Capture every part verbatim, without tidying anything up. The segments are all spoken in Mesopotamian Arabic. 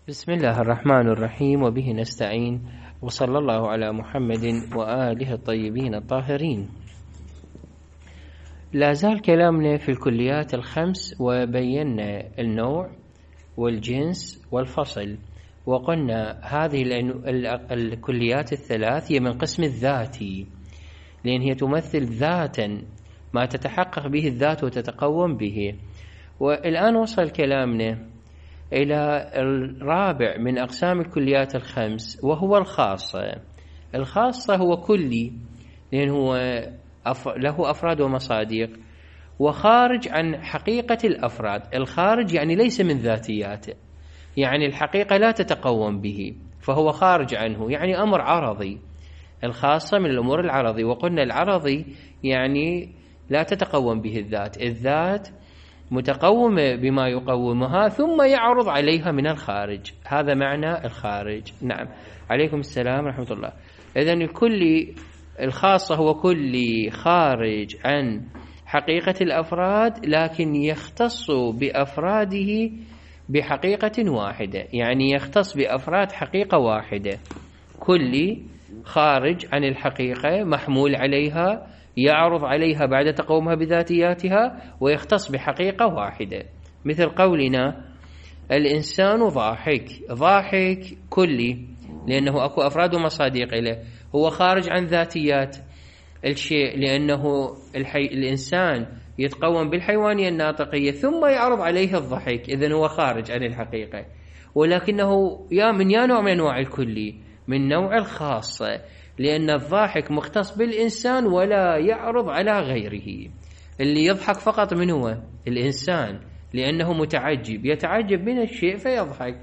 بسم الله الرحمن الرحيم، وبه نستعين، وصلى الله على محمد وآله الطيبين الطاهرين. لا زال كلامنا في الكليات الخمس، وبينا النوع والجنس والفصل، وقلنا هذه الكليات الثلاث هي من قسم الذاتي، لأن هي تمثل ذاتا ما تتحقق به الذات وتتقوم به. والآن وصل كلامنا إلى الرابع من أقسام الكليات الخمس، وهو الخاصة. الخاصة هو كلي، لأن هو له أفراد ومصادق، وخارج عن حقيقة الأفراد. الخارج يعني ليس من ذاتياته، يعني الحقيقة لا تتقوم به، فهو خارج عنه، يعني أمر عرضي. الخاصة من الأمور العرضي، وقلنا العرضي يعني لا تتقوم به الذات، الذات متقومة بما يقومها ثم يعرض عليها من الخارج. هذا معنى الخارج. نعم، عليكم السلام ورحمة الله. إذن الكلي الخاصة هو كلي خارج عن حقيقة الأفراد، لكن يختص بأفراده بحقيقة واحدة، يعني يختص بأفراد حقيقة واحدة. كلي خارج عن الحقيقة، محمول عليها، يعرض عليها بعد تقومها بذاتياتها، ويختص بحقيقة واحدة. مثل قولنا الإنسان ضاحك. ضاحك كلي، لأنه أكو أفراد ومصادق له، هو خارج عن ذاتيات الشيء، لأنه الحي... الإنسان يتقوم بالحيوانية الناطقية ثم يعرض عليه الضحك، إذن هو خارج عن الحقيقة. ولكنه يا من يا نوع من أنواع الكلي، من نوع الخاصة، لأن الضاحك مختص بالإنسان ولا يعرض على غيره. اللي يضحك فقط من هو الإنسان، لأنه متعجب، يتعجب من الشيء فيضحك،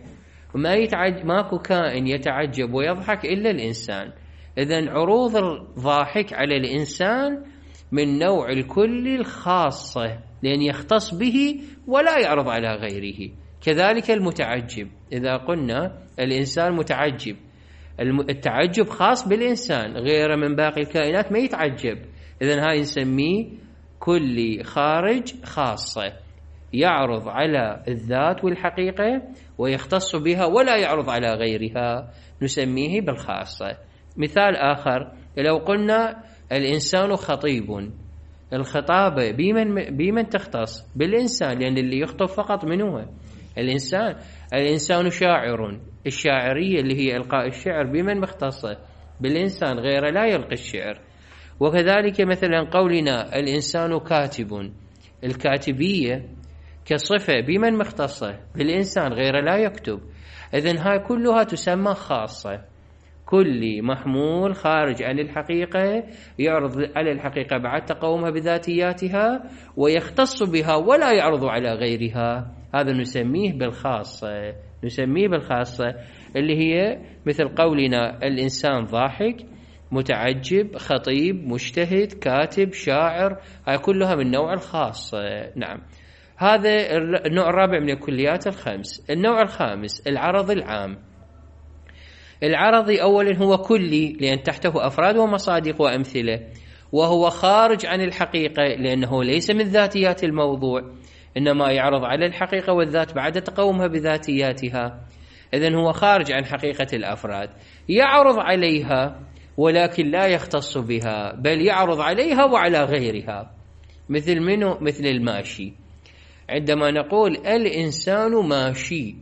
وما يتعجب، ماكو كائن يتعجب ويضحك إلا الإنسان. إذن عروض الضاحك على الإنسان من نوع الكلي الخاصة، لأن يختص به ولا يعرض على غيره. كذلك المتعجب، إذا قلنا الإنسان متعجب، التعجب خاص بالإنسان، غير من باقي الكائنات ما يتعجب. إذن هاي نسميه كلي خارج خاصة، يعرض على الذات والحقيقة ويختص بها ولا يعرض على غيرها، نسميه بالخاصة. مثال آخر، لو قلنا الإنسان خطيب، الخطابة بمن, بمن تختص؟ بالإنسان، لأن اللي يخطب فقط من هو الإنسان. الإنسان شاعر، الشاعرية اللي هي إلقاء الشعر بمن مختصة؟ بالإنسان، غير لا يلقي الشعر. وكذلك مثلا قولنا الإنسان كاتب، الكاتبية كصفة بمن مختصة؟ بالإنسان، غير لا يكتب. إذن هاي كلها تسمى خاصة. كلي محمول خارج عن الحقيقة، يعرض على الحقيقة بعد تقومها بذاتياتها، ويختص بها ولا يعرض على غيرها. هذا نسميه بالخاصة، نسميه بالخاصة، اللي هي مثل قولنا الإنسان ضاحك، متعجب، خطيب، مجتهد، كاتب، شاعر، هاي كلها من نوع الخاص. نعم، هذا النوع الرابع من الكليات الخمس. النوع الخامس العرض العام. العرضي أولا هو كلي، لأن تحته أفراد ومصادق وأمثلة، وهو خارج عن الحقيقة، لأنه ليس من ذاتيات الموضوع، إنما يعرض على الحقيقة والذات بعد تقومها بذاتياتها. إذن هو خارج عن حقيقة الأفراد، يعرض عليها ولكن لا يختص بها، بل يعرض عليها وعلى غيرها. مثل منه؟ مثل الماشي. عندما نقول الإنسان ماشي،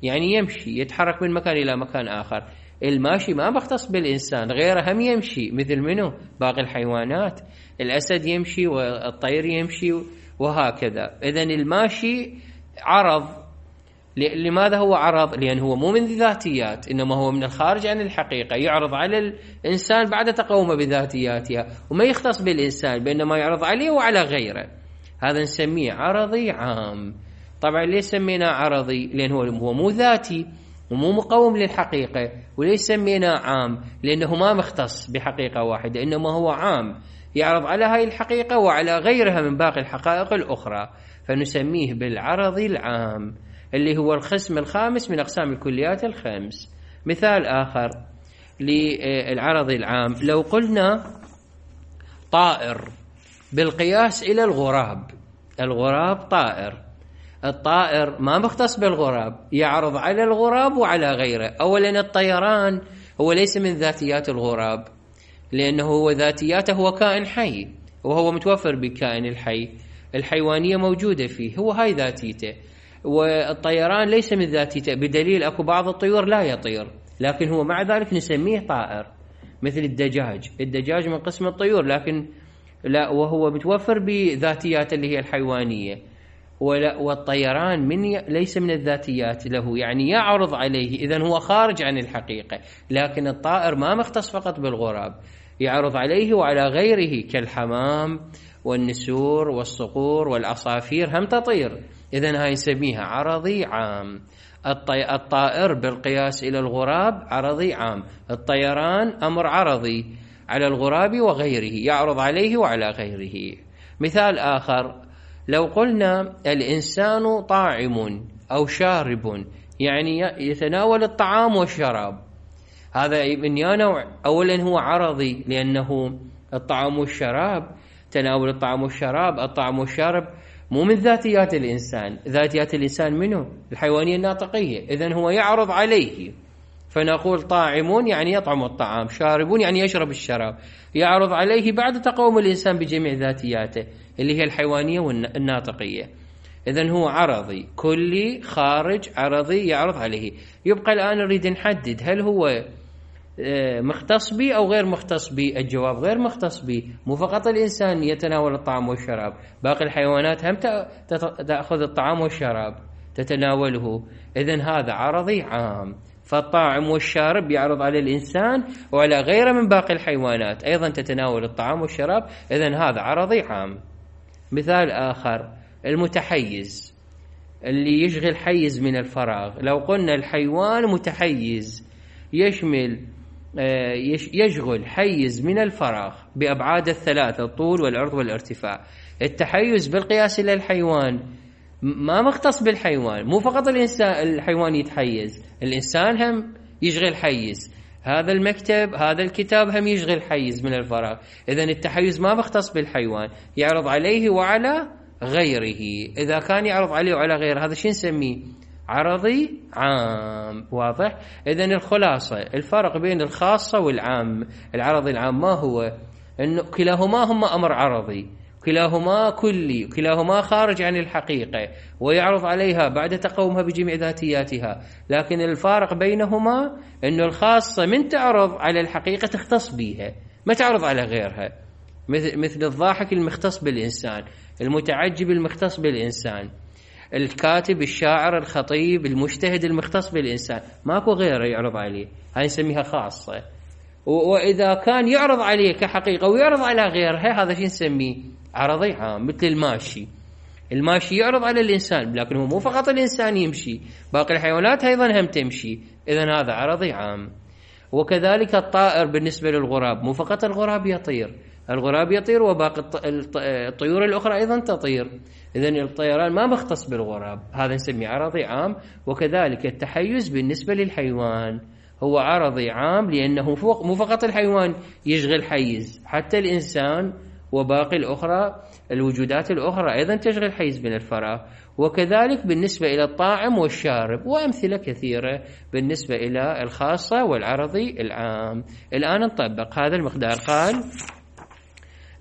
يعني يمشي، يتحرك من مكان إلى مكان آخر. الماشي ما بختص بالإنسان، غيره هم يمشي، مثل منه؟ باقي الحيوانات، الأسد يمشي والطير يمشي وهكذا. إذن الماشي عرض. لماذا هو عرض؟ لأن هو مو من ذاتيات، إنما هو من الخارج عن الحقيقة، يعرض على الإنسان بعد تقوم بذاتياتها، وما يختص بالإنسان، بينما يعرض عليه وعلى غيره. هذا نسميه عرضي عام. طبعا ليش سمينا عرضي؟ لأن هو مو ذاتي ومو مقوم للحقيقة. وليش سمينا عام؟ لأنه ما مختص بحقيقة واحدة، إنما هو عام، يعرض على هاي الحقيقة وعلى غيرها من باقي الحقائق الأخرى، فنسميه بالعرض العام، اللي هو القسم الخامس من أقسام الكليات الخمس. مثال آخر للعرض العام، لو قلنا طائر بالقياس إلى الغراب. الغراب طائر، الطائر ما مختص بالغراب، يعرض على الغراب وعلى غيره. أولا الطيران هو ليس من ذاتيات الغراب، لأنه هو ذاتياته هو كائن حي، وهو متوفر بالكائن الحي، الحيوانية موجودة فيه، هو هاي ذاتيته. والطيران ليس من ذاتيته، بدليل أكو بعض الطيور لا يطير، لكن هو مع ذلك نسميه طائر، مثل الدجاج. الدجاج من قسم الطيور، لكن لا، وهو متوفر بذاتيات اللي هي الحيوانية. والطيران من ي... ليس من الذاتيات له، يعني يعرض عليه، إذن هو خارج عن الحقيقة. لكن الطائر ما مختص فقط بالغراب، يعرض عليه وعلى غيره، كالحمام والنسور والصقور والعصافير هم تطير، إذن هاي نسميها عرضي عام. الطي... الطائر بالقياس إلى الغراب عرضي عام، الطيران أمر عرضي على الغراب وغيره، يعرض عليه وعلى غيره. مثال آخر، لو قلنا الإنسان طاعم أو شارب، يعني يتناول الطعام والشراب، هذا من نوع. أولا هو عرضي، لأنه الطعام والشراب، تناول الطعام والشراب، الطعام والشراب مو من ذاتيات الإنسان. ذاتيات الإنسان منه الحيوانية الناطقية، إذن هو يعرض عليه، فنقول طاعم يعني يطعم الطعام، شارب يعني يشرب الشراب، يعرض عليه بعد تقوم الإنسان بجميع ذاتياته اللي هي الحيوانية والناطقية. إذن هو عرضي، كلي، خارج، عرضي، يعرض عليه. يبقى الآن نريد نحدد هل هو مختص بي أو غير مختص بي. الجواب غير مختص بي، مو فقط الإنسان يتناول الطعام والشراب، باقي الحيوانات هم تأخذ الطعام والشراب تتناوله، إذن هذا عرضي عام. فالطاعم والشارب يعرض على الإنسان وعلى غيره من باقي الحيوانات أيضا تتناول الطعام والشراب، إذن هذا عرضي عام. مثال آخر، المتحيز، اللي يشغل حيز من الفراغ. لو قلنا الحيوان متحيز، يشمل يشغل حيز من الفراغ بأبعاد الثلاثة، الطول والعرض والارتفاع. التحيز بالقياس إلى الحيوان ما مختص بالحيوان، مو فقط الإنسان الحيوان يتحيز، الإنسان هم يشغل حيز، هذا المكتب هذا الكتاب هم يشغل حيز من الفراغ. إذن التحيز ما مختص بالحيوان، يعرض عليه وعلى غيره. إذا كان يعرض عليه وعلى غيره، هذا شو نسميه؟ عرضي عام. واضح؟ إذن الخلاصة، الفرق بين الخاصة والعام. العرضي العام ما هو؟ إنه كلاهما هم أمر عرضي، كلاهما كلي، كلاهما خارج عن الحقيقة، ويعرض عليها بعد تقومها بجميع ذاتياتها. لكن الفارق بينهما أنه الخاصة من تعرض على الحقيقة تختص بها، ما تعرض على غيرها، مثل الضاحك المختص بالإنسان، المتعجب المختص بالإنسان، الكاتب، الشاعر، الخطيب، المجتهد المختص بالإنسان، ماكو غيره يعرض عليه، هاي نسميها خاصة. وإذا كان يعرض عليه كحقيقة ويعرض على غيرها، هذا شيء نسميه عرضي عام. مثل الماشي، الماشي يعرض على الإنسان، لكن هو مو فقط الإنسان يمشي، باقي الحيوانات أيضا هم تمشي، إذن هذا عرضي عام. وكذلك الطائر بالنسبة للغراب، مو فقط الغراب يطير، الغراب يطير وباقي الطيور الأخرى أيضا تطير، إذن الطيران ما مختص بالغراب، هذا نسميه عرضي عام. وكذلك التحيز بالنسبة للحيوان هو عرضي عام، لأنه فوق مو فقط الحيوان يشغل حيز، حتى الإنسان وباقي الأخرى الوجودات الأخرى أيضا تشغل حيز من الفراغ. وكذلك بالنسبة إلى الطاعم والشارب، وأمثلة كثيرة بالنسبة إلى الخاصة والعرضي العام. الآن نطبق هذا المقدار. قال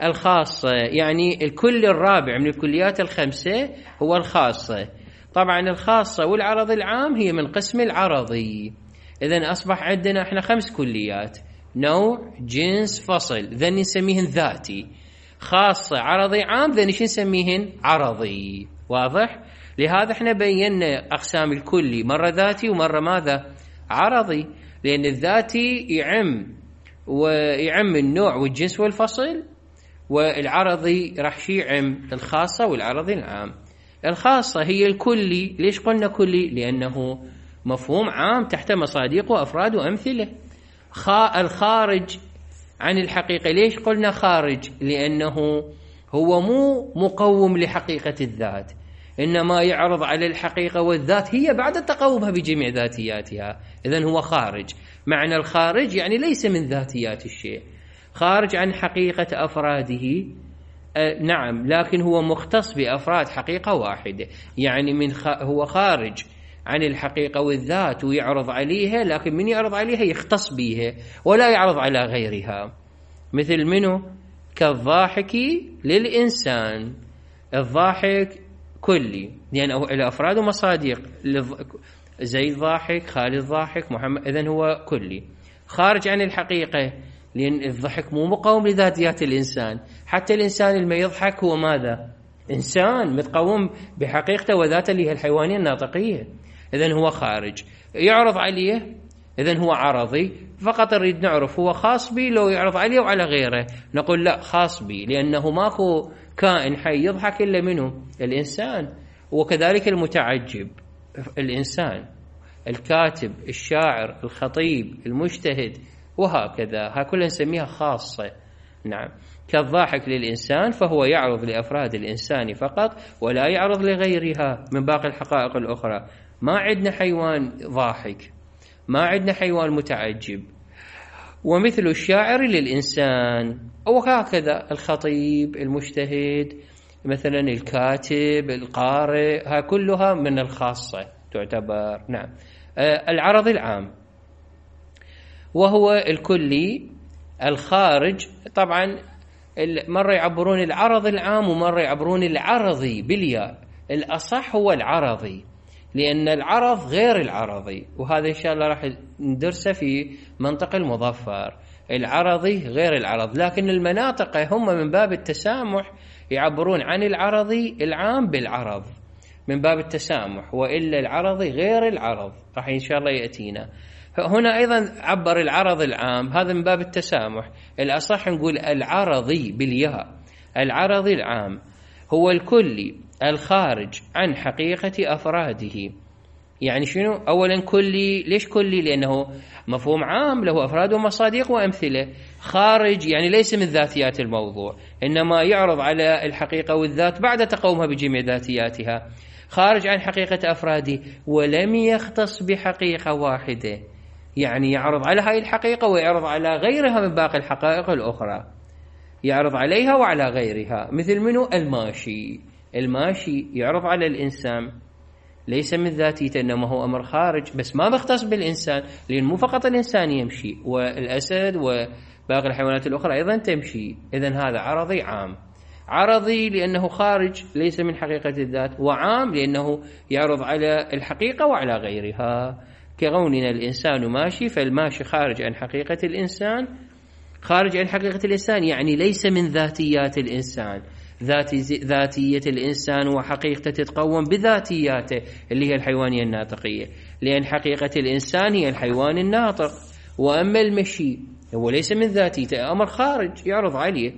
الخاصة يعني الكل الرابع من الكليات الخمسة هو الخاصة. طبعا الخاصة والعرضي العام هي من قسم العرضي. إذن أصبح عندنا إحنا خمس كليات: نوع، جنس، فصل، ذن نسميهن ذاتي. خاصة، عرضي، عام، ذن شو نسميهن؟ عرضي. واضح؟ لهذا إحنا بينا أقسام الكلي، مرة ذاتي ومرة ماذا؟ عرضي، لأن الذاتي يعم ويعم النوع والجنس والفصل، والعرضي راح شي يعم الخاصة والعرضي العام. الخاصة هي الكلي. ليش قلنا كلي؟ لأنه مفهوم عام تحت مصادق وأفراد وأمثلة. خا الخارج عن الحقيقة. ليش قلنا خارج؟ لأنه هو مو مقوم لحقيقة الذات، إنما يعرض على الحقيقة والذات هي بعد تقومها بجميع ذاتياتها، إذن هو خارج. معنى الخارج يعني ليس من ذاتيات الشيء، خارج عن حقيقة أفراده أه نعم، لكن هو مختص بأفراد حقيقة واحدة، يعني من خ... هو خارج عن الحقيقة والذات ويعرض عليها، لكن من يعرض عليها يختص بها ولا يعرض على غيرها. مثل منه؟ كالضاحك للإنسان. الضاحك كلي لأنه يعني الأفراد ومصادق، زيد ضاحك، خالد ضاحك، محمد، إذن هو كلي خارج عن الحقيقة، لأن الضحك مو مقاوم لذاتيات الإنسان. حتى الإنسان اللي يضحك هو ماذا؟ إنسان متقوم بحقيقته وذاته اللي هي الحيوانية الناطقية، إذن هو خارج. يعرض عليه، إذن هو عرضي. فقط نريد نعرف هو خاص بي لو يعرض عليه وعلى غيره، نقول لا، خاص بي، لأنه ماكو كائن حي يضحك إلا منه؟ الإنسان. وكذلك المتعجب الإنسان، الكاتب، الشاعر، الخطيب، المجتهد، وهكذا، ها كلها نسميها خاصة. نعم. كالضاحك للإنسان فهو يعرض لأفراد الإنسان فقط ولا يعرض لغيرها من باقي الحقائق الأخرى. ما عندنا حيوان ضاحك، ما عندنا حيوان متعجب. ومثل الشاعر للإنسان، وهكذا الخطيب، المجتهد، مثلا الكاتب، القارئ، ها كلها من الخاصة تعتبر. نعم. آه العرض العام وهو الكلي الخارج. طبعا مرة يعبرون العرض العام ومرة يعبرون العرضي بالياء. الأصح هو العرضي، لأن العرض غير العرضي، وهذا إن شاء الله راح ندرسه في منطق المظفر. العرضي غير العرض، لكن المناطق هم من باب التسامح يعبرون عن العرضي العام بالعرض من باب التسامح، وإلا العرضي غير العرض راح إن شاء الله يأتينا. هنا أيضا عبر العرض العام، هذا من باب التسامح. الأصح نقول العرضي بالياء. العرضي العام هو الكلي الخارج عن حقيقة أفراده. يعني شنو؟ أولا كلي، ليش كلي؟ لأنه مفهوم عام له أفراد ومصادق وأمثلة. خارج يعني ليس من ذاتيات الموضوع، إنما يعرض على الحقيقة والذات بعد تقومها بجميع ذاتياتها. خارج عن حقيقة أفراده ولم يختص بحقيقة واحدة، يعني يعرض على هاي الحقيقة ويعرض على غيرها من باقي الحقائق الأخرى، يعرض عليها وعلى غيرها. مثل منه؟ الماشي. الماشي يعرض على الإنسان، ليس من ذاتيته، إنما هو أمر خارج، بس ما بيختص بالإنسان، لأن مو فقط الإنسان يمشي، والأسد وباقي الحيوانات الأخرى أيضا تمشي. إذن هذا عرضي عام. عرضي لأنه خارج ليس من حقيقة الذات، وعام لأنه يعرض على الحقيقة وعلى غيرها. كقولنا الإنسان ماشي، فالماشي خارج عن حقيقة الإنسان. خارج عن حقيقة الإنسان يعني ليس من ذاتيات الإنسان. ذاتي ذاتية الإنسان وحقيقته تتقوم بذاتياته اللي هي الحيوانية الناطقية، لأن حقيقة الإنسان هي الحيوان الناطق. وأما المشي هو ليس من ذاتيته، أمر خارج يعرض عليه.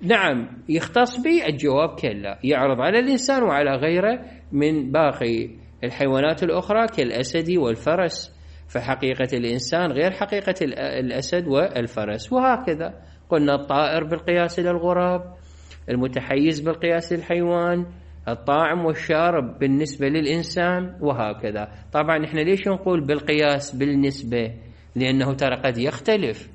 نعم، يختص به؟ الجواب كلا، يعرض على الإنسان وعلى غيره من باقي الحيوانات الأخرى كالأسد والفرس، فحقيقة الإنسان غير حقيقة الأسد والفرس. وهكذا قلنا الطائر بالقياس إلى الغراب، المتحيز بالقياس للحيوان، الطاعم والشارب بالنسبة للإنسان، وهكذا. طبعا إحنا ليش نقول بالقياس بالنسبة؟ لأنه ترى قد يختلف،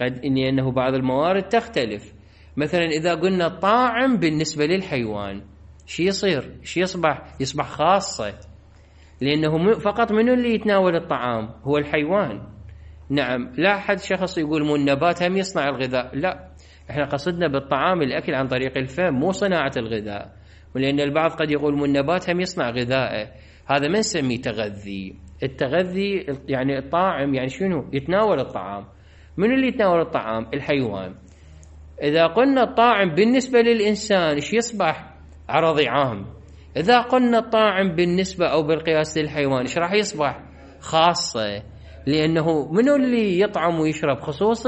قد لأنه بعض الموارد تختلف. مثلا إذا قلنا الطاعم بالنسبة للحيوان، شي يصير؟ شي يصبح؟ يصبح خاصة، لأنه فقط منو اللي يتناول الطعام؟ هو الحيوان. نعم، لا أحد شخص يقول مو النبات هم يصنع الغذاء، لا، احنا قصدنا بالطعام الأكل عن طريق الفم، مو صناعة الغذاء. ولأن البعض قد يقول مو النبات هم يصنع غذائه، هذا ما نسميه تغذي. التغذي يعني الطاعم يعني شنو؟ يتناول الطعام. من اللي يتناول الطعام؟ الحيوان. إذا قلنا الطاعم بالنسبة للإنسان إيش يصبح؟ عرضي عام. إذا قلنا الطاعم بالنسبة أو بالقياس للحيوان إيش راح يصبح؟ خاصة، لأنه منو اللي يطعم ويشرب؟ خصوص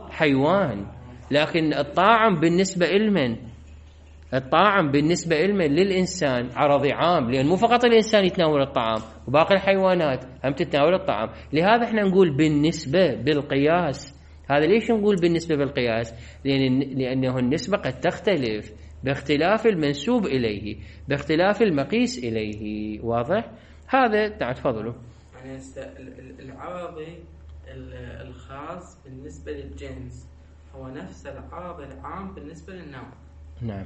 الحيوان. لكن الطاعم بالنسبة إلمن؟ الطاعم بالنسبة إلمن؟ للإنسان، عرضي عام، لأن مو فقط الإنسان يتناول الطعام، وباقي الحيوانات هم تتناول الطعام. لهذا احنا نقول بالنسبة بالقياس. هذا ليش نقول بالنسبة بالقياس؟ لأن لأنه النسبة قد تختلف باختلاف المنسوب إليه، باختلاف المقيس إليه. واضح؟ هذا تعال تفضلوا. يعني العرضي الخاص بالنسبة للجنس هو نفس العرض العام بالنسبة للنوع. نعم.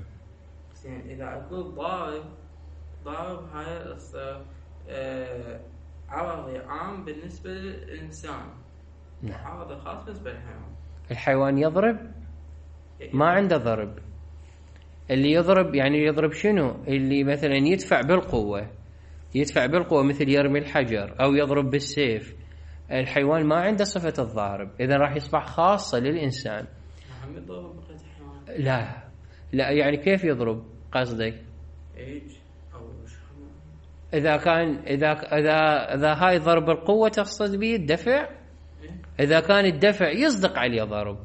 زين إذا أقول ضارب، ضارب هاي القصة آه عرضي عام بالنسبة للإنسان، نعم. عرضي خاص بالنسبة للحيوان. الحيوان يضرب ما عنده ضرب. اللي يضرب يعني يضرب شنو؟ اللي مثلا يدفع بالقوة، يدفع بالقوة مثل يرمي الحجر أو يضرب بالسيف. الحيوان ما عنده صفة الضارب، إذا راح يصبح خاصة للإنسان. هم يضرب بقية الحيوان؟ لا لا، يعني كيف يضرب قصدك؟ إيج أو شو؟ إذا كان إذا إذا إذا هاي ضرب القوة تقصد به الدفع، إذا كان الدفع يصدق عليه ضرب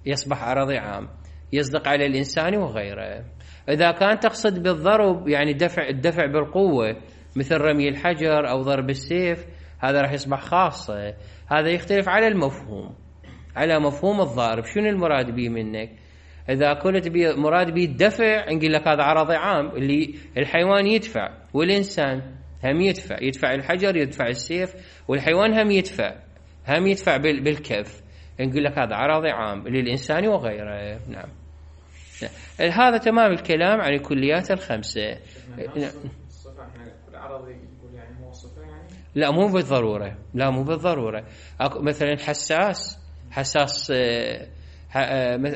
يصبح عرضي عام، يصدق على الإنسان وغيره. إذا كان تقصد بالضرب يعني دفع الدفع بالقوة مثل رمي الحجر أو ضرب السيف، هذا راح يصبح خاصة. هذا يختلف على المفهوم، على مفهوم الضارب، شنو المراد به منك؟ إذا قلت بي مراد به الدفع نقول لك هذا عرضي عام، اللي الحيوان يدفع والإنسان هم يدفع، يدفع الحجر يدفع السيف، والحيوان هم يدفع هم يدفع بالكف، نقول لك هذا عرضي عام للإنسان وغيره. نعم. هذا تمام الكلام عن الكليات الخمسة. لا مو بالضرورة، لا مو بالضرورة. مثلا حساس، حساس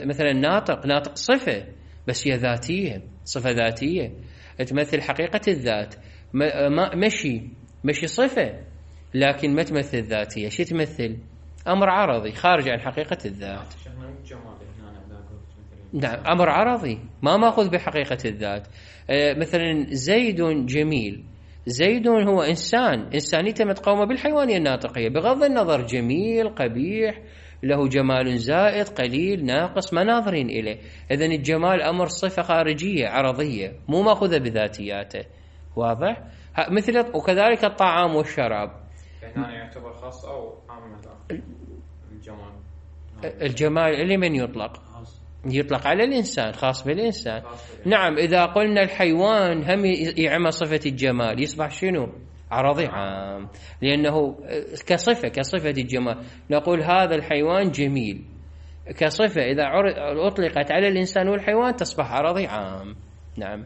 مثلا ناطق، ناطق صفة بس هي ذاتية، صفة ذاتية تمثل حقيقة الذات. مشي، مشي صفة لكن ما تمثل ذاتية، شي تمثل؟ أمر عرضي خارج عن حقيقة الذات. نعم أمر عرضي ما ماخذ بحقيقة الذات. مثلا زيد جميل، زيد هو إنسان، إنسانيته متقومة بالحيوانية الناطقية، بغض النظر جميل قبيح، له جمال زائد قليل ناقص، ما ناظرين إليه. إذن الجمال أمر صفة خارجية عرضية مو ماخذة بذاتياته. واضح؟ مثل وكذلك الطعام والشراب. يعني يعتبر خاص أو عام؟ الجمال، الجمال اللي من يطلق يطلق على الإنسان، خاص بالإنسان. نعم. إذا قلنا الحيوان هم يعمى صفة الجمال يصبح شنو؟ عرضي عام، لأنه كصفة كصفة الجمال نقول هذا الحيوان جميل كصفة، إذا أطلقت على الإنسان والحيوان تصبح عرضي عام. نعم.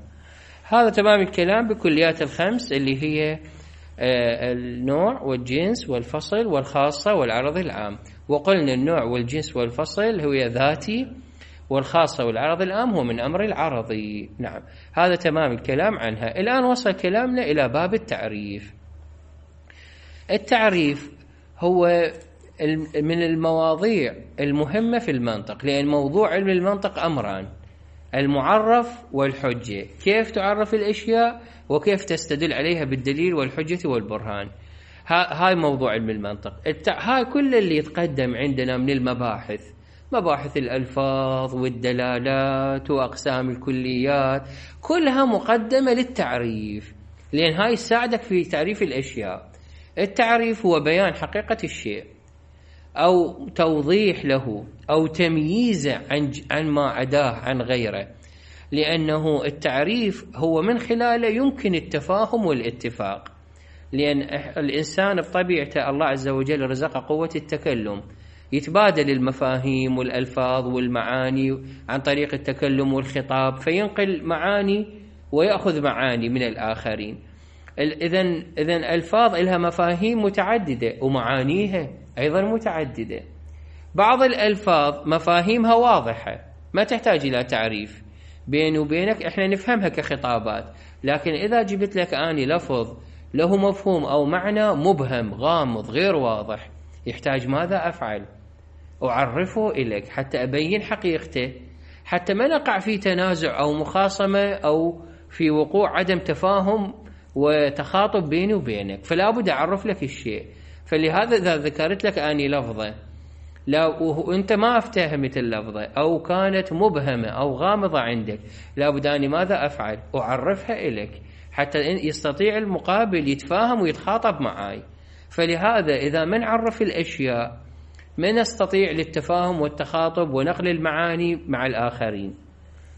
هذا تمام الكلام بكليات الخمس اللي هي النوع والجنس والفصل والخاصة والعرض العام. وقلنا النوع والجنس والفصل هو ذاتي، والخاصة والعرض العام هو من أمر العرضي. نعم. هذا تمام الكلام عنها. الآن وصل كلامنا إلى باب التعريف. التعريف هو من المواضيع المهمة في المنطق، لأن موضوع علم المنطق أمران: المعرف والحجة، كيف تعرف الأشياء وكيف تستدل عليها بالدليل والحجة والبرهان. هاي موضوع علم المنطق. هاي كل اللي يتقدم عندنا من المباحث، مباحث الألفاظ والدلالات وأقسام الكليات، كلها مقدمة للتعريف، لأن هاي يساعدك في تعريف الأشياء. التعريف هو بيان حقيقة الشيء أو توضيح له أو تمييزه عن عن ما عداه عن غيره، لأنه التعريف هو من خلاله يمكن التفاهم والاتفاق، لأن الإنسان بطبيعته الله عز وجل رزقه قوة التكلم، يتبادل المفاهيم والألفاظ والمعاني عن طريق التكلم والخطاب، فينقل معاني ويأخذ معاني من الآخرين. إذن إذن ألفاظ لها مفاهيم متعددة ومعانيها أيضا متعددة. بعض الألفاظ مفاهيمها واضحة ما تحتاج إلى تعريف، بيني وبينك إحنا نفهمها كخطابات، لكن إذا جبت لك آني لفظ له مفهوم أو معنى مبهم غامض غير واضح، يحتاج ماذا أفعل؟ أعرفه إليك حتى أبين حقيقته، حتى ما نقع في تنازع أو مخاصمة أو في وقوع عدم تفاهم وتخاطب بيني وبينك، فلا بد أعرف لك الشيء. فلهذا إذا ذكرت لك أني لفظة لا وأنت ما افتهمت اللفظة أو كانت مبهمة أو غامضة عندك، لا بد أني ماذا أفعل؟ أعرفها إليك حتى يستطيع المقابل يتفاهم ويتخاطب معي. فلهذا إذا ما نعرف الأشياء ما نستطيع للتفاهم والتخاطب ونقل المعاني مع الآخرين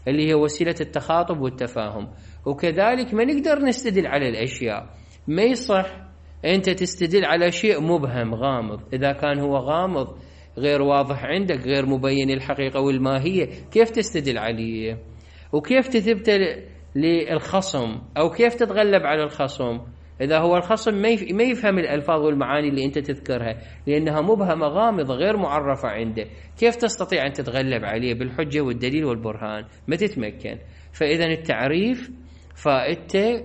اللي هي وسيلة التخاطب والتفاهم، وكذلك ما نقدر نستدل على الأشياء. ما يصح أنت تستدل على شيء مبهم غامض، إذا كان هو غامض غير واضح عندك غير مبين الحقيقة والماهية، كيف تستدل عليه؟ وكيف تثبت للخصم أو كيف تتغلب على الخصم إذا هو الخصم ما يفهم الألفاظ والمعاني اللي أنت تذكرها لأنها مبهمة غامضة غير معرفة عنده. كيف تستطيع أن تتغلب عليه بالحجة والدليل والبرهان؟ ما تتمكن. فإذا التعريف فائدته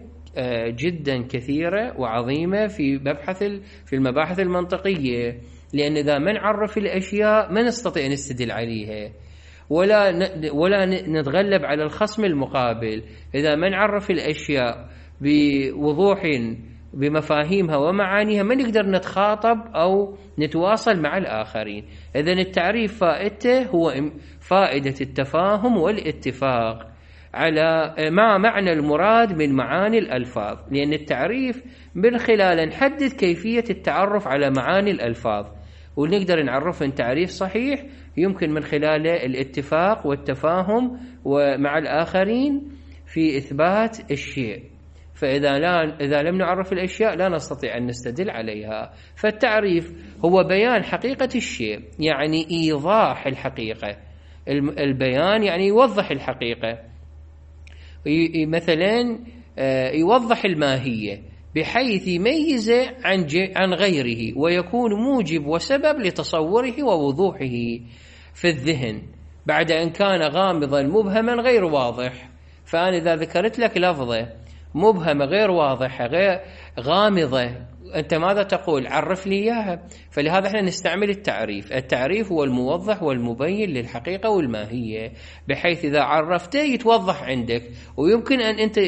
جدا كثيرة وعظيمة في مبحث في المباحث المنطقية، لأن إذا ما نعرف الأشياء ما نستطيع نستدل عليها ولا ولا نتغلب على الخصم المقابل. إذا ما نعرف الأشياء بوضوح بمفاهيمها ومعانيها ما نقدر نتخاطب أو نتواصل مع الآخرين. إذن التعريف فائدته هو فائدة التفاهم والاتفاق على مع معنى المراد من معاني الألفاظ، لأن التعريف من خلاله نحدد كيفية التعرف على معاني الألفاظ، ونقدر نعرف إن تعريف صحيح يمكن من خلاله الاتفاق والتفاهم ومع الآخرين في إثبات الشيء. فإذا لا إذا لم نعرف الأشياء لا نستطيع أن نستدل عليها. فالتعريف هو بيان حقيقة الشيء، يعني إيضاح الحقيقة. البيان يعني يوضح الحقيقة، مثلا يوضح الماهية بحيث يميزه عن عن غيره ويكون موجب وسبب لتصوره ووضوحه في الذهن بعد أن كان غامضا مبهما غير واضح. فأنا إذا ذكرت لك لفظة مبهمة غير واضحة غير غامضة أنت ماذا تقول؟ عرف لي إياها. فلهذا احنا نستعمل التعريف. التعريف هو الموضح والمبين للحقيقة والماهية، بحيث إذا عرفته يتوضح عندك ويمكن أن أنت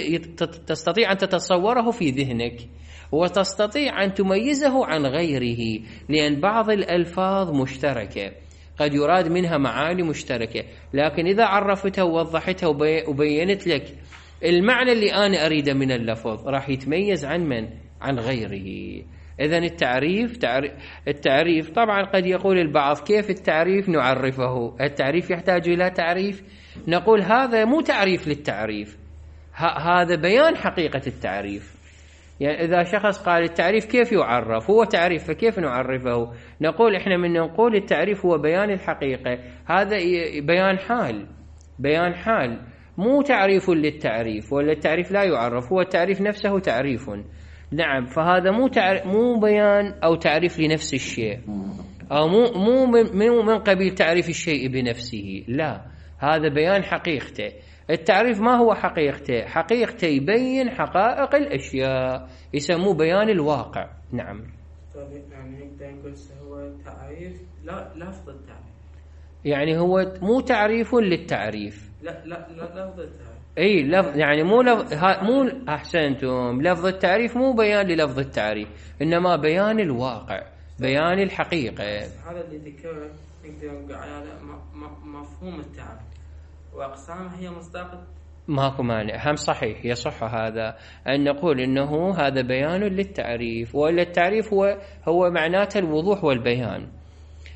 تستطيع أن تتصوره في ذهنك وتستطيع أن تميزه عن غيره، لأن بعض الألفاظ مشتركة قد يراد منها معاني مشتركة، لكن إذا عرفتها ووضحتها وبينت لك المعنى اللي أنا أريده من اللفظ راح يتميز عن من؟ عن غيره. إذن التعريف تعريف التعريف طبعا قد يقول البعض كيف التعريف نعرفه؟ التعريف يحتاج إلى تعريف؟ نقول هذا مو تعريف للتعريف، هذا بيان حقيقة التعريف. يعني إذا شخص قال التعريف كيف يعرف؟ هو تعريف فكيف نعرفه؟ نقول إحنا من نقول التعريف هو بيان الحقيقة، هذا بيان حال، بيان حال مو تعريف للتعريف، ولا التعريف لا يعرف، هو التعريف نفسه تعريف. نعم، فهذا مو تعريف مو بيان أو تعريف لنفس الشيء، أو مو مو من, من قبيل تعريف الشيء بنفسه، لا، هذا بيان حقيقته. التعريف ما هو حقيقته؟ حقيقته يبين حقائق الأشياء، يسموه بيان الواقع. نعم. يعني نقدر نقول هو تعريف لا لفظ التعريف، يعني هو مو تعريف للتعريف، لا لا لا لفظ التعريف. اي لفظ، يعني مو لفظ مو احسنتم، لفظ التعريف مو بيان للفظ التعريف، انما بيان الواقع، بيان الحقيقه. هذا اللي ذكره نقدر نقول على مفهوم التعريف واقسامه هي مصداق. ماكو مانع، هم صحيح يصح هذا ان نقول انه هذا بيان للتعريف، ولا التعريف هو هو معناته الوضوح والبيان.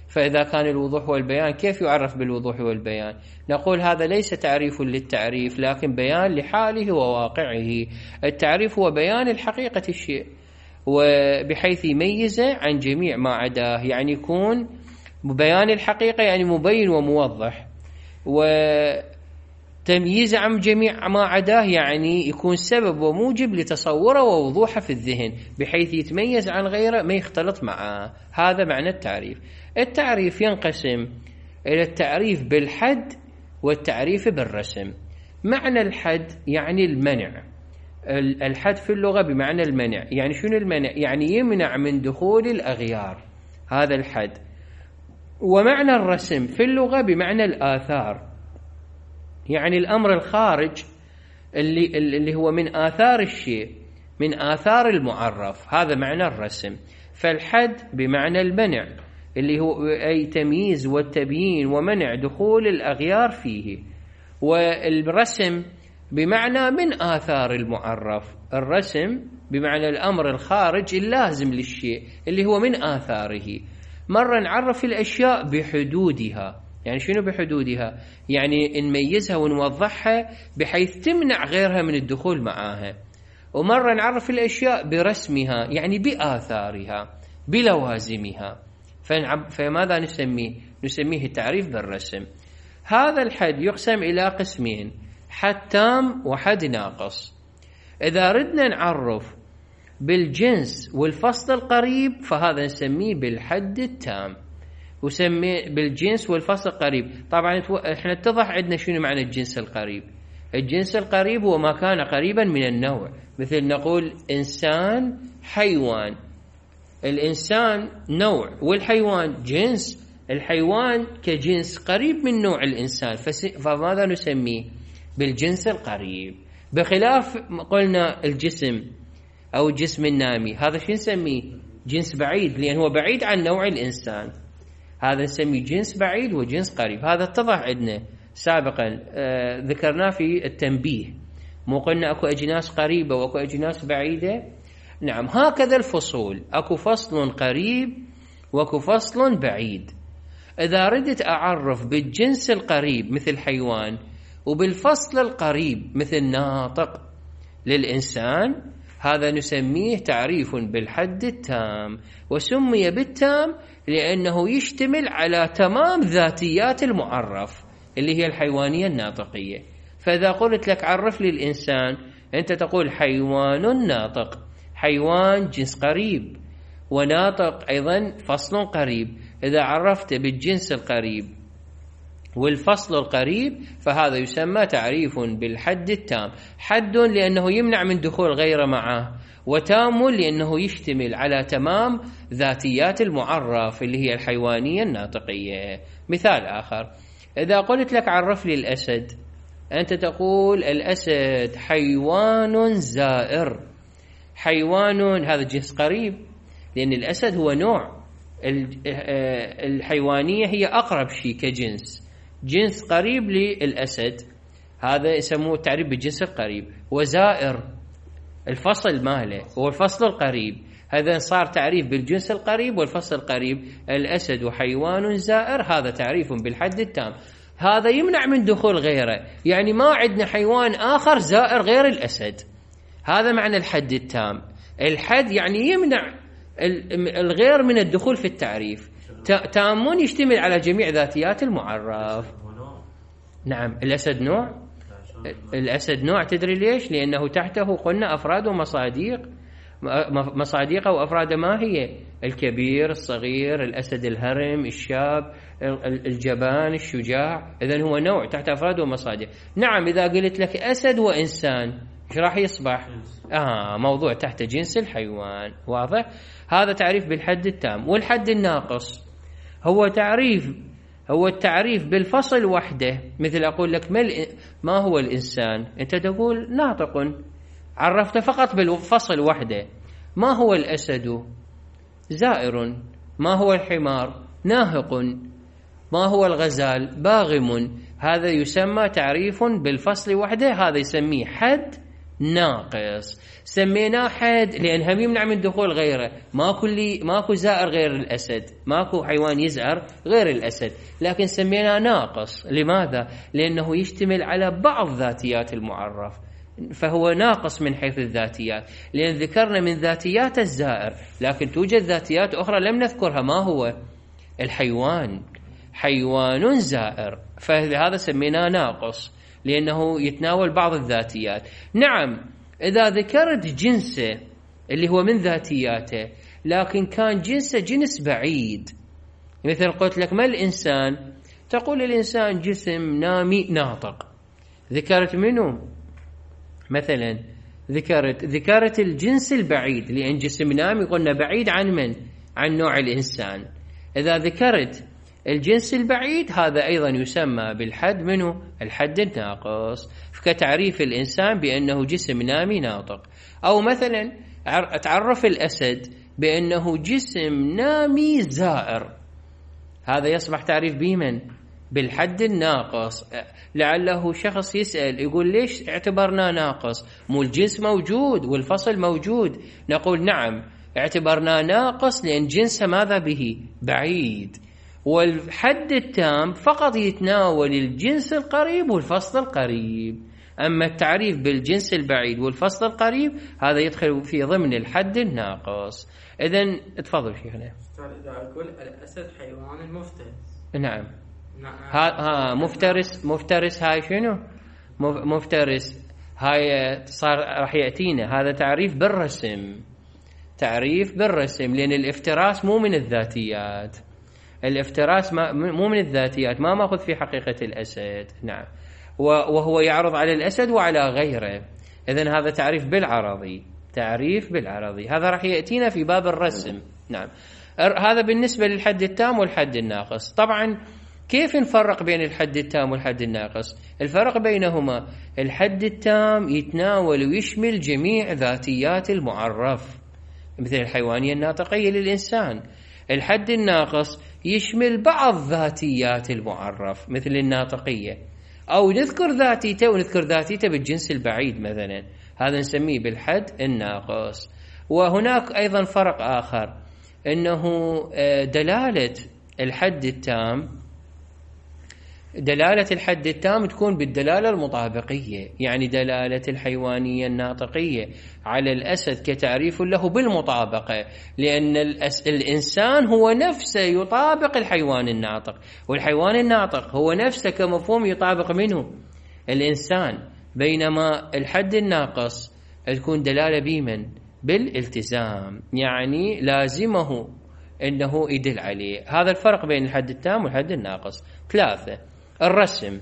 فإذا كان الوضوح والبيان كيف يعرف بالوضوح والبيان؟ نقول هذا ليس تعريف للتعريف لكن بيان لحاله وواقعه. التعريف هو بيان الحقيقة الشيء وبحيث يميزه عن جميع ما عداه، يعني يكون بيان الحقيقة يعني مبين وموضح، وتمييزه عن جميع ما عداه يعني يكون سبب وموجب لتصوره ووضوحه في الذهن بحيث يتميز عن غيره ما يختلط معه. هذا معنى التعريف. التعريف ينقسم إلى التعريف بالحد والتعريف بالرسم. معنى الحد يعني المنع، الحد في اللغة بمعنى المنع. يعني شنو المنع؟ يعني يمنع من دخول الأغيار، هذا الحد. ومعنى الرسم في اللغة بمعنى الآثار، يعني الأمر الخارج اللي, اللي هو من آثار الشيء، من آثار المعرف، هذا معنى الرسم. فالحد بمعنى المنع اللي هو أي تمييز والتبيين ومنع دخول الأغيار فيه. والرسم بمعنى من آثار المعرف، الرسم بمعنى الأمر الخارج اللازم للشيء اللي هو من آثاره. مرة نعرف الأشياء بحدودها، يعني شنو بحدودها؟ يعني نميزها ونوضحها بحيث تمنع غيرها من الدخول معاها. ومرة نعرف الأشياء برسمها، يعني بآثارها بلوازمها. فماذا نسميه؟ نسميه التعريف بالرسم. هذا الحد يقسم إلى قسمين، حد تام وحد ناقص. إذا ردنا نعرف بالجنس والفصل القريب فهذا نسميه بالحد التام، وسمي بالجنس والفصل القريب. طبعا احنا اتضح عندنا شنو معنى الجنس القريب. الجنس القريب هو ما كان قريبا من النوع، مثل نقول إنسان حيوان. الإنسان نوع والحيوان جنس، الحيوان كجنس قريب من نوع الإنسان، فماذا نسميه؟ بالجنس القريب. بخلاف قلنا الجسم أو الجسم النامي، هذا شو نسميه؟ جنس بعيد، لأن هو بعيد عن نوع الإنسان، هذا نسميه جنس بعيد وجنس قريب. هذا اتضح عندنا سابقا، آه ذكرناه في التنبيه، مو قلنا أكو أجناس قريبة وأكو أجناس بعيدة؟ نعم، هكذا الفصول، أكو فصل قريب وأكو فصل بعيد. إذا ردت أعرف بالجنس القريب مثل حيوان وبالفصل القريب مثل ناطق للإنسان، هذا نسميه تعريف بالحد التام، وسمي بالتام لأنه يشتمل على تمام ذاتيات المعرف اللي هي الحيوانية الناطقية. فإذا قلت لك عرف لي الإنسان، أنت تقول حيوان ناطق، حيوان جنس قريب، وناطق أيضا فصل قريب. إذا عرفت بالجنس القريب والفصل القريب فهذا يسمى تعريف بالحد التام. حد لأنه يمنع من دخول غيره معه، وتام لأنه يشتمل على تمام ذاتيات المعرف اللي هي الحيوانية الناطقية. مثال آخر، إذا قلت لك عرف لي الأسد، أنت تقول الأسد حيوان زائر. حيوان هذا جنس قريب، لأن الأسد هو نوع، الحيوانية هي أقرب شيء كجنس، جنس قريب للأسد، هذا يسموه التعريف بالجنس القريب. وزائر الفصل ماله هو الفصل القريب، هذا صار تعريف بالجنس القريب والفصل القريب. الأسد حيوان زائر، هذا تعريف بالحد التام، هذا يمنع من دخول غيره، يعني ما عندنا حيوان آخر زائر غير الأسد. هذا معنى الحد التام. الحد يعني يمنع الغير من الدخول في التعريف. تامون يشتمل على جميع ذاتيات المعرف. نعم، الأسد نوع، الأسد نوع. تدري ليش؟ لأنه تحته قلنا أفراد ومصاديق. مصاديقه وأفراده ما هي؟ الكبير، الصغير، الأسد الهرم، الشاب، الجبان، الشجاع. إذن هو نوع تحت أفراد ومصاديق. نعم، إذا قلت لك أسد وإنسان ايش راح يصبح؟ آه موضوع تحت جنس الحيوان. واضح؟ هذا تعريف بالحد التام. والحد الناقص هو تعريف هو التعريف بالفصل وحده. مثل أقول لك ما, ما هو الإنسان، أنت تقول ناطق، عرفت فقط بالفصل وحده. ما هو الأسد؟ زائر. ما هو الحمار؟ ناهق. ما هو الغزال؟ باغم. هذا يسمى تعريف بالفصل وحده، هذا يسميه حد ناقص. سميناه حد لأن هم يمنع من دخول غيره، ماكو لي ماكو زائر غير الأسد، ماكو حيوان يزعر غير الأسد، لكن سميناه ناقص. لماذا؟ لأنه يشتمل على بعض ذاتيات المعرف، فهو ناقص من حيث الذاتيات، لأن ذكرنا من ذاتيات الزائر، لكن توجد ذاتيات أخرى لم نذكرها. ما هو؟ الحيوان حيوان زائر، فهذا سميناه ناقص لأنه يتناول بعض الذاتيات. نعم، إذا ذكرت جنسه اللي هو من ذاتياته لكن كان جنسه جنس بعيد، مثل قلت لك ما الإنسان، تقول الإنسان جسم نامي ناطق. ذكرت منه مثلا، ذكرت ذكرت الجنس البعيد، لأن جسم نامي قلنا بعيد عن من؟ عن نوع الإنسان. إذا ذكرت الجنس البعيد هذا أيضا يسمى بالحد منه الحد الناقص، كتعريف الإنسان بأنه جسم نامي ناطق. أو مثلا تعرف الأسد بأنه جسم نامي زائر، هذا يصبح تعريف بمن؟ بالحد الناقص. لعله شخص يسأل يقول ليش اعتبرنا ناقص؟ مو الجنس موجود والفصل موجود. نقول نعم، اعتبرنا ناقص لأن جنسه ماذا به؟ بعيد. والحد التام فقط يتناول الجنس القريب والفصل القريب، أما التعريف بالجنس البعيد والفصل القريب هذا يدخل في ضمن الحد الناقص. إذن تفضل شيخنا. إذا أقول الأسد حيوان مفترس. نعم. ها ها مفترس، مفترس هاي شنو؟ مفترس، هاي صار راح يأتينا هذا تعريف بالرسم، تعريف بالرسم، لأن الافتراس مو من الذاتيات، الافتراس ما مو من الذاتيات، ما ماخذ في حقيقة الأسد. نعم، وهو يعرض على الأسد وعلى غيره. إذن هذا تعريف بالعرضي، تعريف بالعرضي، هذا راح يأتينا في باب الرسم. نعم، هذا بالنسبة للحد التام والحد الناقص. طبعا كيف نفرق بين الحد التام والحد الناقص؟ الفرق بينهما، الحد التام يتناول ويشمل جميع ذاتيات المعرف مثل الحيوانية الناطقية للإنسان. الحد الناقص يشمل بعض ذاتيات المعرف مثل الناطقية، أو نذكر ذاتيته ونذكر ذاتيته بالجنس البعيد مثلا، هذا نسميه بالحد الناقص. وهناك أيضا فرق آخر، أنه دلالة الحد التام، دلالة الحد التام تكون بالدلالة المطابقية، يعني دلالة الحيوانية الناطقية على الأسد كتعريف له بالمطابقة، لأن الإنسان هو نفسه يطابق الحيوان الناطق، والحيوان الناطق هو نفسه كمفهوم يطابق منه الإنسان، بينما الحد الناقص تكون دلالة بمن؟ بالالتزام، يعني لازمه أنه يدل عليه. هذا الفرق بين الحد التام والحد الناقص. ثلاثة، الرسم.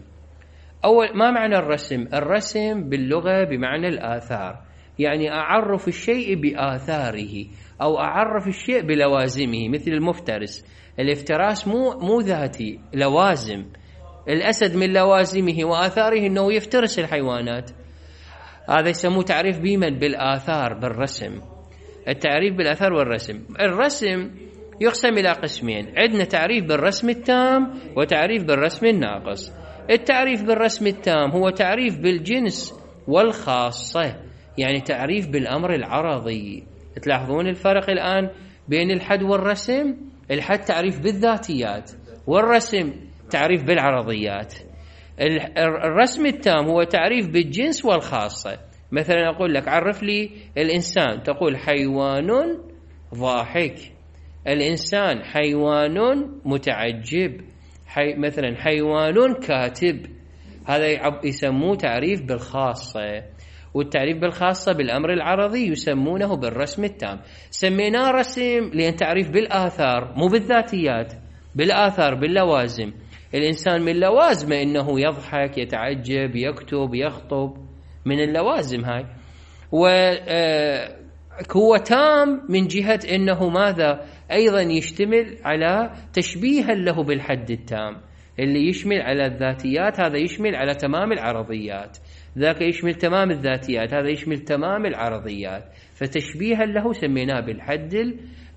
أول، ما معنى الرسم؟ الرسم باللغة بمعنى الآثار، يعني أعرف الشيء بآثاره أو أعرف الشيء بلوازمه، مثل المفترس. الافتراس مو مو ذاتي، لوازم. الأسد من لوازمه وآثاره أنه يفترس الحيوانات، هذا يسموه تعريف بمن؟ بالآثار، بالرسم. التعريف بالآثار والرسم. الرسم يقسم إلى قسمين، عندنا تعريف بالرسم التام وتعريف بالرسم الناقص. التعريف بالرسم التام هو تعريف بالجنس والخاصة، يعني تعريف بالأمر العرضي. تلاحظون الفرق الآن بين الحد والرسم؟ الحد تعريف بالذاتيات، والرسم تعريف بالعرضيات. الرسم التام هو تعريف بالجنس والخاصة. مثلا أقول لك عرف لي الإنسان، تقول حيوان ضاحك، الإنسان حيوان متعجب، حي مثلا حيوان كاتب. هذا يسموه تعريف بالخاصة. والتعريف بالخاصة بالأمر العرضي يسمونه بالرسم التام. سميناه رسم لأن تعريف بالآثار، مو بالذاتيات، بالآثار، باللوازم. الإنسان من لوازمه إنه يضحك، يتعجب، يكتب، يخطب، من اللوازم هاي. وهو تام من جهة إنه ماذا؟ أيضا يشتمل على تشبيها له بالحد التام، اللي يشمل على الذاتيات هذا يشمل على تمام العرضيات، ذاك يشمل تمام الذاتيات هذا يشمل تمام العرضيات. فتشبيها له سميناه بالحد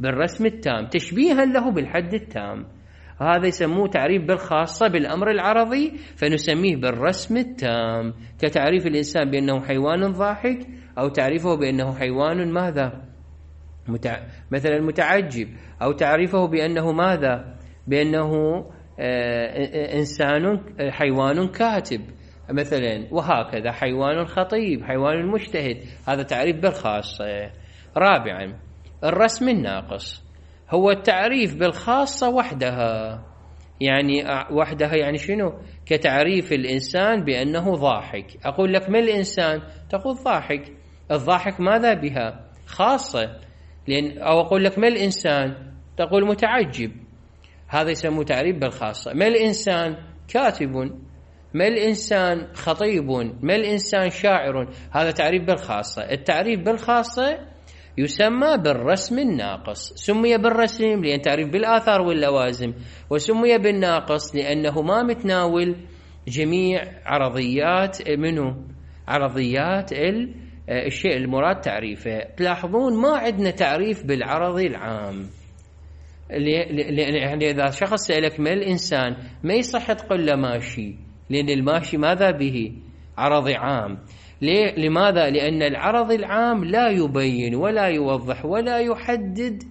بالرسم التام، تشبيها له بالحد التام. هذا يسموه تعريف بالخاصة بالأمر العرضي، فنسميه بالرسم التام، كتعريف الإنسان بأنه حيوان ضاحك، أو تعريفه بأنه حيوان ماذا؟ متع... مثلا متعجب، أو تعريفه بأنه ماذا؟ بأنه آه إنسان حيوان كاتب مثلا، وهكذا حيوان خطيب، حيوان مجتهد. هذا تعريف بالخاصة. رابعا، الرسم الناقص هو التعريف بالخاصة وحدها، يعني وحدها يعني شنو؟ كتعريف الإنسان بأنه ضاحك. أقول لك ما الإنسان؟ تقول ضاحك. الضاحك ماذا بها؟ خاصة. لأن أو أقول لك ما الإنسان؟ تقول متعجب. هذا يسموه تعريف بالخاصة. ما الإنسان؟ كاتب. ما الإنسان؟ خطيب. ما الإنسان؟ شاعر. هذا تعريف بالخاصة. التعريف بالخاصة يسمى بالرسم الناقص. سمي بالرسم لأن تعريف بالآثار واللوازم، وسمي بالناقص لأنه ما متناول جميع عرضيات منه، عرضيات الشيء المراد تعريفه. تلاحظون ما عندنا تعريف بالعرضي العام، يعني إذا شخص سألك ما الإنسان ما يصح تقول له ماشي، لأن الماشي ماذا به؟ عرضي عام. ليه؟ لماذا؟ لأن العرض العام لا يبين ولا يوضح ولا يحدد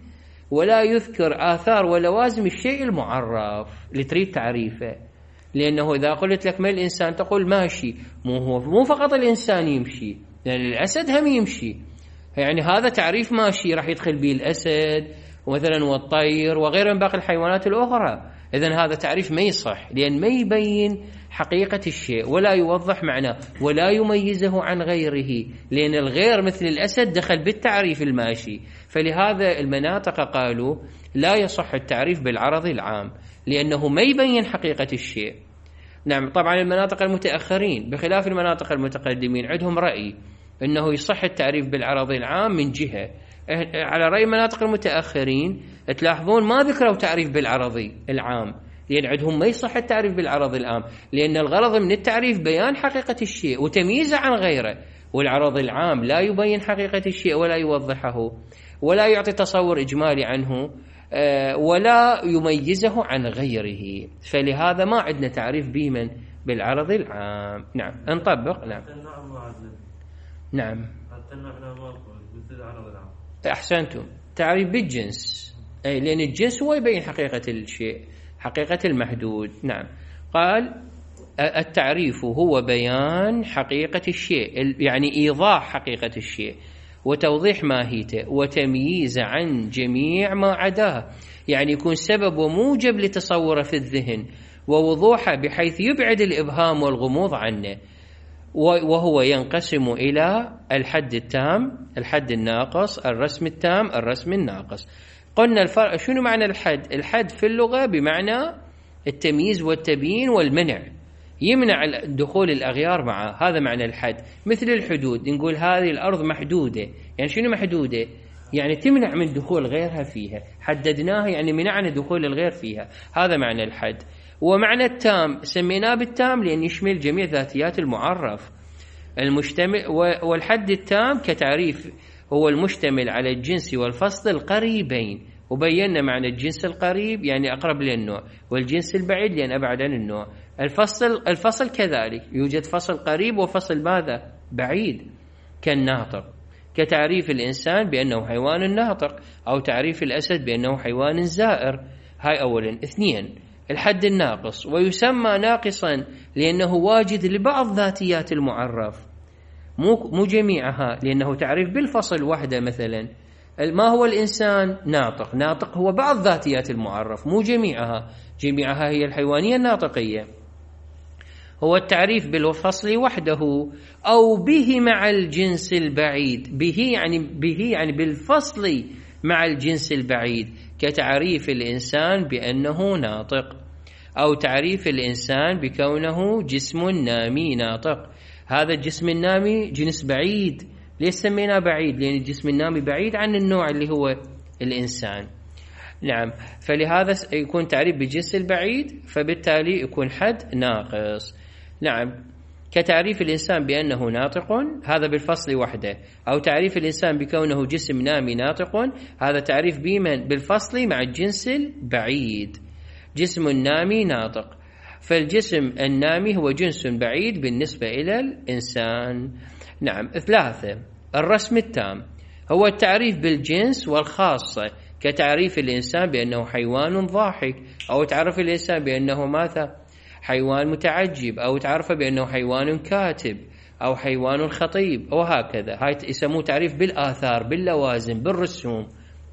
ولا يذكر آثار ولوازم الشيء المعرف اللي تريد تعريفه. لأنه إذا قلت لك ما الإنسان تقول ماشي، مو هو مو فقط الإنسان يمشي، يعني الأسد هم يمشي، يعني هذا تعريف ماشي راح يدخل به الأسد ومثلا والطير وغيره من باقي الحيوانات الأخرى. إذن هذا تعريف ما يصح، لأن ما يبين حقيقة الشيء ولا يوضح معناه ولا يميزه عن غيره، لأن الغير مثل الأسد دخل بالتعريف الماشي. فلهذا المناطق قالوا لا يصح التعريف بالعرض العام لأنه ما يبين حقيقة الشيء. نعم، طبعا المناطق المتأخرين بخلاف المناطق المتقدمين عندهم رأي أنه يصح التعريف بالعرض العام من جهة. على رأي المناطق المتأخرين تلاحظون ما ذكروا تعريف بالعرضي العام، لأن عندهم ما يصح التعريف بالعرض العام، لأن الغرض من التعريف بيان حقيقة الشيء وتمييزه عن غيره، والعرض العام لا يبين حقيقة الشيء ولا يوضحه ولا يعطي تصور إجمالي عنه ولا يميزه عن غيره. فلهذا ما عندنا تعريف بمن بالعرض العام. نعم نطبق. نعم نعم أحسنتم، تعريف بالجنس، أي لأن الجنس هو يبين حقيقة الشيء، حقيقة المحدود. نعم، قال التعريف هو بيان حقيقة الشيء، يعني إيضاح حقيقة الشيء وتوضيح ماهيته وتمييز عن جميع ما عداه، يعني يكون سبب وموجب لتصوره في الذهن ووضوحه بحيث يبعد الإبهام والغموض عنه. وهو ينقسم إلى الحد التام، الحد الناقص، الرسم التام، الرسم الناقص. قلنا الفرق شنو معنى الحد؟ الحد في اللغة بمعنى التمييز والتبيين والمنع، يمنع دخول الأغيار معه، هذا معنى الحد. مثل الحدود، نقول هذه الأرض محدودة، يعني شنو محدودة؟ يعني تمنع من دخول غيرها فيها، حددناها يعني منعنا دخول الغير فيها، هذا معنى الحد. ومعنى التام سميناه بالتام لأن يشمل جميع ذاتيات المعرف المشتمل. والحد التام كتعريف هو المشتمل على الجنس والفصل القريبين، وبينا معنى الجنس القريب يعني أقرب للنوع، والجنس البعيد لأن أبعد عن النوع. الفصل الفصل كذلك يوجد فصل قريب وفصل ماذا؟ بعيد، كالناطق، كتعريف الإنسان بأنه حيوان ناطق، أو تعريف الأسد بأنه حيوان زائر. هاي أولا. اثنين، الحد الناقص، ويسمى ناقصا لأنه واجد لبعض ذاتيات المعرف مو مو جميعها، لأنه تعريف بالفصل وحده. مثلا ما هو الإنسان؟ ناطق، ناطق هو بعض ذاتيات المعرف مو جميعها، جميعها هي الحيوانية الناطقية. هو التعريف بالفصل وحده أو به مع الجنس البعيد، به يعني به يعني بالفصل مع الجنس البعيد، كتعريف الإنسان بأنه ناطق، أو تعريف الإنسان بكونه جسم نامي ناطق. هذا الجسم النامي جنس بعيد، ليش سميناه بعيد؟ لأن الجسم النامي بعيد عن النوع اللي هو الإنسان. نعم، فلهذا يكون تعريف بالجنس البعيد، فبالتالي يكون حد ناقص. نعم، كتعريف الإنسان بأنه ناطق، هذا بالفصل وحده، أو تعريف الإنسان بكونه جسم نامي ناطق، هذا تعريف بمن؟ بالفصل مع الجنس البعيد، جسم نامي ناطق. فالجسم النامي هو جنس بعيد بالنسبة إلى الإنسان. نعم. ثلاثة، الرسم التام هو التعريف بالجنس والخاصة، كتعريف الإنسان بأنه حيوان ضاحك، أو تعرف الإنسان بأنه ماذا؟ حيوان متعجب، أو تعرف بأنه حيوان كاتب، أو حيوان خطيب، وهكذا. هاي يسموه تعريف بالآثار، باللوازم، بالرسوم.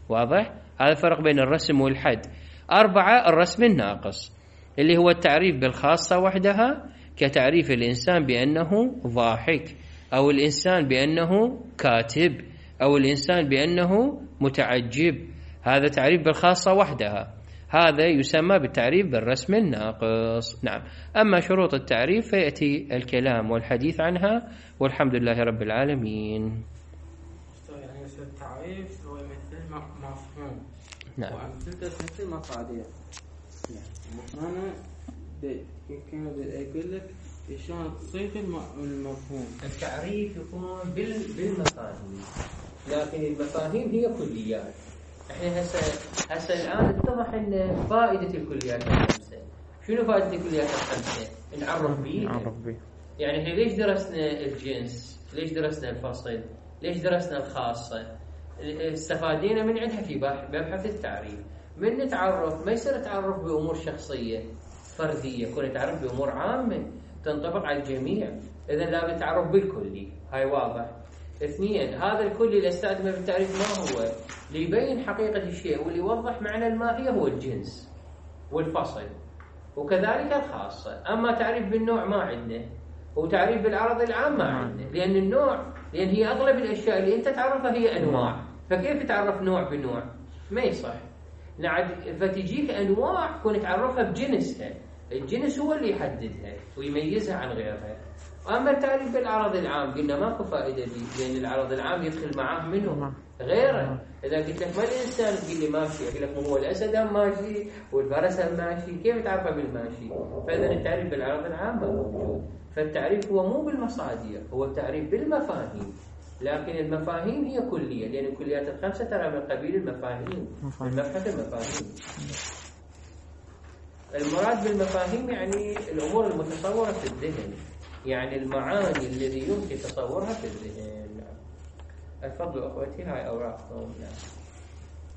واضح؟ هذا الفرق بين الرسم والحد. أربعة، الرسم الناقص اللي هو التعريف بالخاصة وحدها، كتعريف الإنسان بأنه ضاحك، أو الإنسان بأنه كاتب، أو الإنسان بأنه متعجب. هذا تعريف بالخاصة وحدها، هذا يسمى بالتعريف بالرسم الناقص. نعم. أما شروط التعريف فيأتي الكلام والحديث عنها، والحمد لله رب العالمين. يعني التعريف هو مثل مفهوم. نعم. وأمثلته مثل مقادير. نعم. أنا يمكن أقول لك شلون تصيغ المفهوم. التعريف يكون بالمفاهيم، لكن المفاهيم هي كليات. احنا هسه هسه الان اتضح ان فائده الكليات الخمسه. شنو فائده الكليات الخمسه؟ نعرف بيه. نعرف بيه. يعني احنا ليش درسنا الجنس؟ ليش درسنا الفصل؟ ليش درسنا الخاصه؟ استفادينا من عندها في مبحث التعريف. من نتعرف ما يصير تعرف بامور شخصيه فرديه، يكون تعرف بامور عامه تنطبق على الجميع. اذا لابد تعرف بالكلي، هاي واضح. اثنين، هذا الكلي اللي استخدمه بالتعريف ما هو؟ ليبين حقيقة الشيء واللي يوضح معنى الماهية هو الجنس. والفصل، وكذلك الخاصة. أما تعريف بالنوع ما عندنا، وتعريف بالعرض العام ما عندنا، لأن النوع لأن هي أغلب الأشياء اللي أنت تعرفها هي أنواع، فكيف تعرف نوع بنوع؟ ما يصح. فتجيك أنواع كون تعرفها بجنسها، الجنس هو اللي يحددها ويميزها عن غيرها. أما التعريف بالعرض العام قلنا ماكو فائدة به، لأن العرض العام يدخل معاه منه غيره. إذا قلت لك ما الإنسان تقول لي ماشي، أقول لك هو الأسد هم ماشي والفرس هم ماشي، كيف تعرفه بالماشي؟ فإذا التعريف بالعرض العام موجود. فالتعريف هو مو بالمصادر، هو التعريف بالمفاهيم، لكن المفاهيم هي كلية، لأن الكليات الخمسة ترى من قبيل المفاهيم، من مبحث المفاهيم. المراد بالمفاهيم يعني الأمور المتصورة في الذهن، يعني المعاني الذي يمكن تصورها في الذهن. الفضل أخوتي، هاي أوراقكم.